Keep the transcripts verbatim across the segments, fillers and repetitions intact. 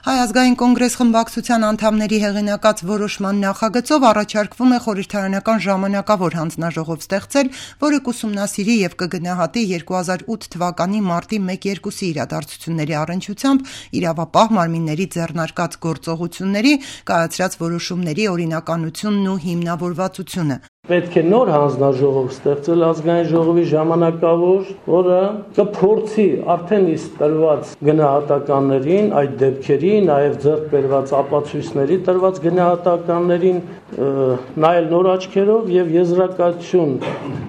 Հայ ազգային կոնգրես խմբակցության անդամների հեղինակած որոշման նախագծով առաջարկվում է խորհրդարանական ժամանակավոր հանձնաժողով ստեղծել, որը կուսումնասիրի և կգնահատի երկու հազար ութ թվականի մարտի մեկ-երկուսի իրադարձությունների առնչությամբ իրավապահ մարմինների ձեռնարկած գործողությունների, կայացրած որոշումների օրինականությունն ու հիմնավորվածությունը։ Պետք է նոր հանձնաժողով ստեղծել ազգային ժողովի ժամանակավոր, որը կփորձի արդեն իսկ տրված գնահատականներին, այդ դեպքերի, նաև ձեռք բերված ապացույցների տրված գնահատականներին նայել նոր աչքերով եւ եզրակացություն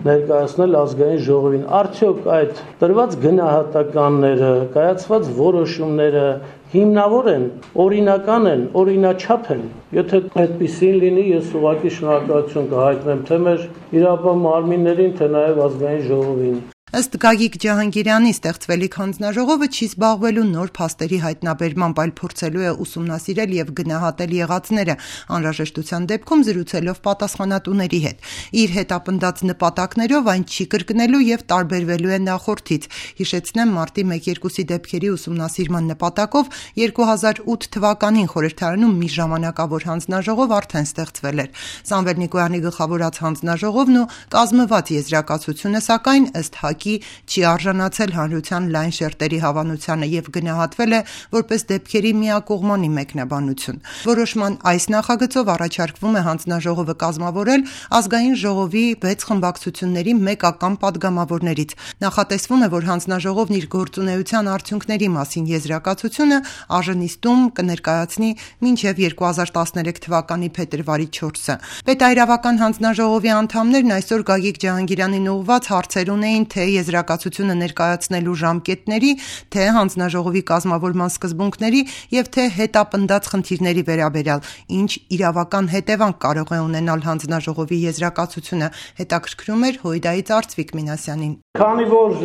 ներկայացնել ազգային ժողովին։ Արդյոք այդ տրված գնահատականները, կայացված որոշումները հիմնավոր են, օրինական են, օրինաչափ են։ Եթե այդպեսին լինի, ես ուղղակի շնորհակալություն կհայտնեմ թե մեր իրավապահ մարմիններին, թե նաև ազգային ժողովին։ Ըստ Գագիկ Ջահանգիրյանի ստեղծվելիք հանձնաժողովը չի զբաղվելու նոր փաստերի հայտնաբերմամբ, այլ փորձելու է ուսումնասիրել եւ գնահատել եղածները, անհրաժեշտության դեպքում զրուցելով պատասխանատուների հետ։ Իր հետապնդած նպատակներով այն չի կրկնելու եւ տարբերվելու է նախորդից։ Հիշեցնեմ, մարտի մեկ-երկուսի դեպքերի ուսումնասիրման նպատակով երկու հազար ութ թվականին խորհրդարանում մի ժամանակավոր հանձնաժողով արդեն ստեղծվել էր։ Սամվել Նիկոյանի գլխավորած հանձնաժողովն ու կազմված եզրակացությունը, սակայն ըստ չի արժանացել հանրության լայն շերտերի հավանությանը եւ գնահատվել է որպես դեպքերի միակողմանի մեկնաբանություն։ Որոշման այս նախագծով առաջարկվում է հանձնաժողովը կազմավորել ազգային ժողովի վեց խմբակցությունների մեկական падգամավորներից։ Նախատեսվում է, որ հանձնաժողովն իր գործունեության արդյունքների մասին եզրակացությունը ԱԺ-նիստում կներկայացնի մինչև երկու հազար տասներեք թվականի փետրվարի չորսը։ Պետայրավական հանձնաժողովի անդամներն այսօր Գագիկ Ջահանգիրյանին ուղղված հարցեր ունեին թե եզրակացությունը ներկայացնելու ժամկետների, թե հանձնաժողովի կազմավորման սկզբունքների եւ թե հետապնդած խնդիրների վերաբերյալ, ինչ իրավական հետևանք կարող է ունենալ հանձնաժողովի եզրակացությունը, հետաքրքրում էր Հույդայից Արծվիկ Մինասյանին։ Քանի որ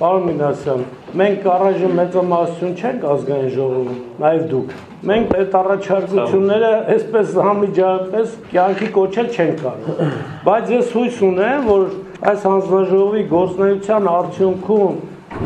պարոն Մինասյան, մենք առայժմ մեծամասնություն չենք ազգային ժողովում, նաեւ դուք։ Մենք այդ առաջարկությունները այսպես համիջապես կյանքի կոչել չենք կարող։ Բայց ես հույս ունեմ, որ այս հանձնաժողովի գործունեության արդյունքում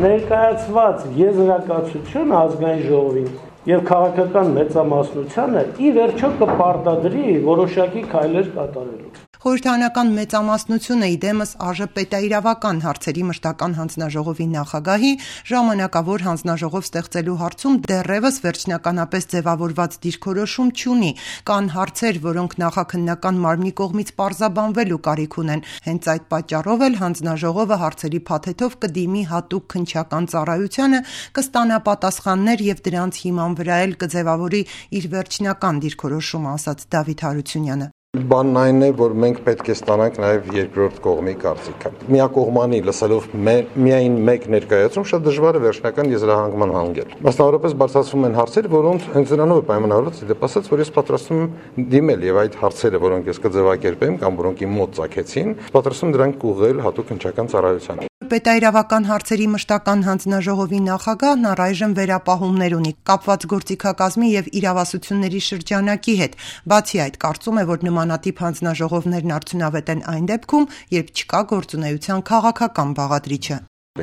ներկայացված եզրակացություն ազգային ժողովին եւ քաղաքական մեծամասնությանը ի վերջո կպարտադրի որոշակի քայլեր կատարելու։ Խորհրդարանական մեծամասնությունը իդեմս ԱԺ պետաիրավական հարցերի մշտական հանձնաժողովի նախագահի ժամանակավոր հանձնաժողով ստեղծելու հարցում դեռևս վերջնականապես ձևավորված դիրքորոշում չունի։ Կան հարցեր, որոնք նախաքննական մարմնի կողմից պարզաբանվելու կարիք ունեն։ Հենց այդ պատճառով էլ հանձնաժողովը հարցերի փաթեթով կդիմի հատուկ քննչական ծառայությանը, կստանա պատասխաններ եւ դրանց հիման վրա էլ կձևավորի իր վերջնական դիրքորոշումը, ասաց Դավիթ Հարությունյանը։ Բանն այն է, որ մենք պետք է ստանանք նաև երկրորդ կողմի կարծիքը։ Միակողմանի լսելով միայն մեկ ներկայացում շատ դժվար է վերջնական եզրահանգման հանգել։ Մասնավորապես բարձրացվում են հարցեր, որոնց հենց նրանով է պայմանավորված, դեպի ասած, որ ես պատրաստում եմ դիմել եւ այդ հարցերը, որոնք ես կձևակերպեմ կամ որոնք իմ մոտ ծագեցին, պատրաստում դրանք ուղղել հատուկ քննչական ծառայությանը։ Պետայրավական հարցերի մշտական հանձնաժողովի նախագահն առայժմ վերապահումներ ունի կապված գործիքակազմի եւ իրավասությունների շրջանակի հետ։ Բացի այդ, կարծում է, որ նմանատիպ հանձնաժողովներն արդյունավետ են այն դեպքում, երբ չկա գործունեության քաղաքական բաղադրիչը։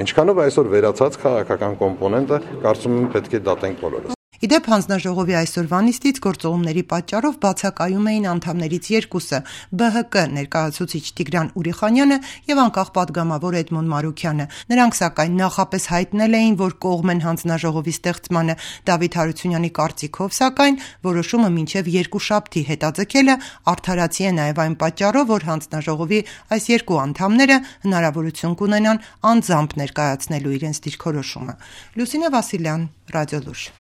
Ինչքանով այսօր վերացած քաղաքական կոմպոնենտը, կարծում եմ, պետք է դատենք բոլորս։ Իդեպ հանձնաժողովի այսօրվա նիստից գործողումների պատճառով բացակայում էին անդամներից երկուսը՝ Բ Հ Կ ներկայացուցիչ Տիգրան Ուրիխանյանը եւ անկախ падգամավոր Էդմոն Մարուքյանը։ Նրանք սակայն նախապես հայտնել էին, որ կողմ են հանձնաժողովի ստեղծմանը։ Դավիթ Հարությունյանի կարծիքով, սակայն որոշումը մինչև երկուշաբթի հետաձգելը արդարացի է նաեւ այն պատճառով, որ հանձնաժողովի այս երկու անդամները հնարավորություն կունենան անձամբ ներկայացնելու իրենց դիրքորոշումը։ Լուսինե Վասիլյան, Ռադիոլուր։